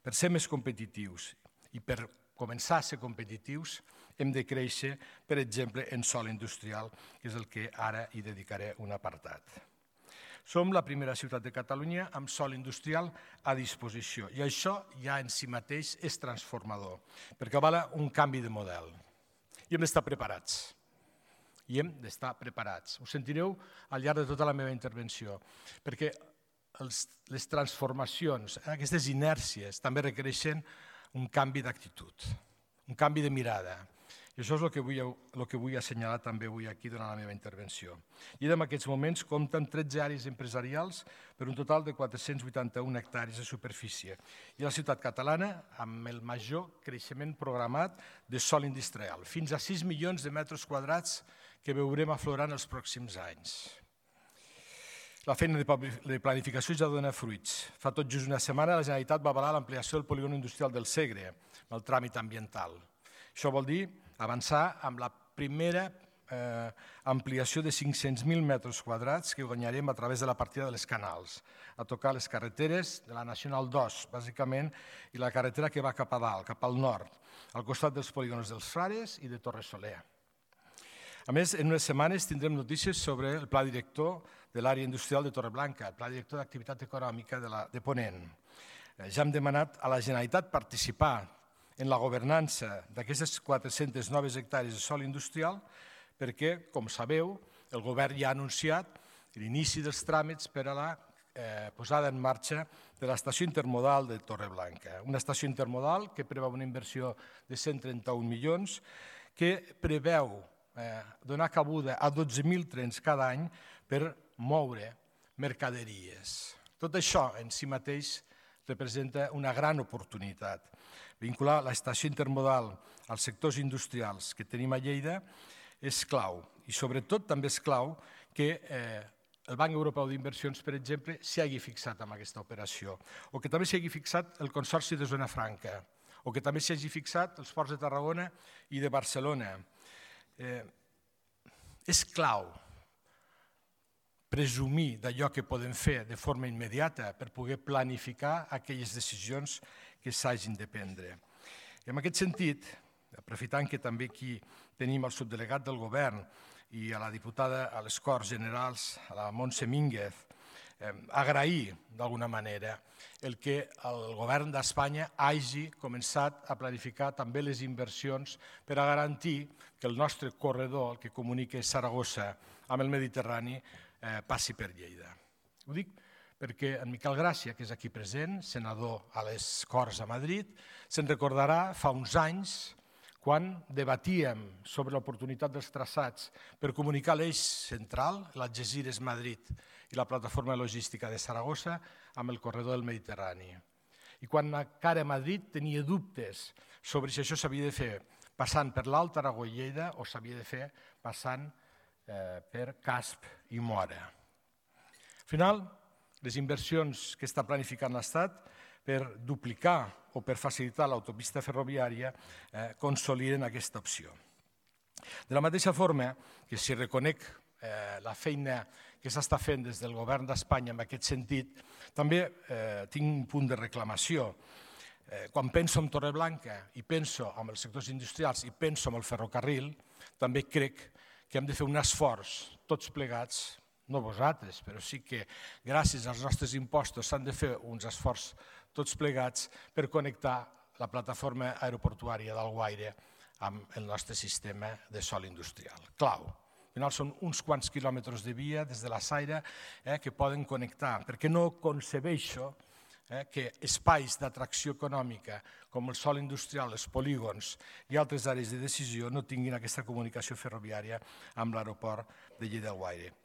Per ser més competitius i per començar a ser competitius hem de créixer, per exemple, en sòl industrial, que és el que ara hi dedicaré un apartat. Som la primera ciutat de Catalunya amb sòl industrial a disposició i això ja en si mateix és transformador, perquè avala un canvi de model. I hem d'estar preparats. Ho sentireu al llarg de tota la meva intervenció, perquè les transformacions, aquestes inèrcies, també requereixen un canvi d'actitud, un canvi de mirada. I això és el que vull assenyalar també avui aquí durant la meva intervenció. Lleida en aquests moments compta amb 13 àrees empresarials per un total de 481 hectàrees de superfície i la ciutat catalana amb el major creixement programat de sòl industrial, fins a 6 milions de metres quadrats que veurem aflorar en els pròxims anys. La feina de planificació ja dona fruits. Fa tot just una setmana la Generalitat va avalar l'ampliació del polígon industrial del Segre, amb el tràmit ambiental. Això vol dir avançar amb la primera ampliació de 500.000 metres quadrats que guanyarem a través de la partida de les canals, a tocar les carreteres de la Nacional 2, bàsicament, i la carretera que va cap a dalt, cap al nord, al costat dels polígons dels Frares i de Torre Soler. A més, en unes setmanes tindrem notícies sobre el pla director de l'àrea industrial de Torreblanca, el pla director d'activitat econòmica de Ponent. Ja hem demanat a la Generalitat participar en la governança d'aquestes 400 noves hectàrees de sòl industrial perquè, com sabeu, el govern ja ha anunciat l'inici dels tràmits per a la posada en marxa de l'estació intermodal de Torreblanca. Una estació intermodal que preveu una inversió de 131 milions, que preveu donar cabuda a 12.000 trens cada any per moure mercaderies. Tot això en si mateix representa una gran oportunitat. Vincular l'estació intermodal als sectors industrials que tenim a Lleida és clau i sobretot també és clau que el Banc Europeu d'Inversions, per exemple, s'hi hagi fixat amb aquesta operació o que també s'hi hagi fixat el Consorci de Zona Franca o que també s'hi hagi fixat els ports de Tarragona i de Barcelona. És clau presumir d'allò que podem fer de forma immediata per poder planificar aquelles decisions que s'hagin de prendre. I en aquest sentit, aprofitant que també aquí tenim el subdelegat del govern i a la diputada a les Corts Generals, a la Montse Mínguez, agrair d'alguna manera el que el govern d'Espanya hagi començat a planificar també les inversions per a garantir que el nostre corredor, el que comunica Saragossa amb el Mediterrani, passi per Lleida. Ho dic perquè en Miquel Gràcia, que és aquí present, senador a les Corts a Madrid, se'n recordarà fa uns anys quan debatíem sobre l'oportunitat dels traçats per comunicar l'eix central, l'Algesires-Madrid i la plataforma logística de Saragossa amb el corredor del Mediterrani. I quan encara Madrid tenia dubtes sobre si això s'havia de fer passant per l'Alt Aragó i Lleida o s'havia de fer passant per Casp i Móra. Al final, les inversions que està planificant l'Estat per duplicar o per facilitar l'autopista ferroviària consoliden aquesta opció. De la mateixa forma que si reconec la feina que s'està fent des del govern d'Espanya en aquest sentit, també tinc un punt de reclamació. Quan penso en Torreblanca i penso en els sectors industrials i penso en el ferrocarril, també crec que hem de fer un esforç, tots plegats, no vosaltres, però sí que gràcies als nostres impostos s'han de fer uns esforços tots plegats per connectar la plataforma aeroportuària d'Alguaire amb el nostre sistema de sòl industrial. Clau. Al final són uns quants quilòmetres de via des de la Saira que poden connectar, perquè no concebeixo que espais d'atracció econòmica com el sòl industrial, els polígons i altres àrees de decisió no tinguin aquesta comunicació ferroviària amb l'aeroport de Lleida-Alguaire.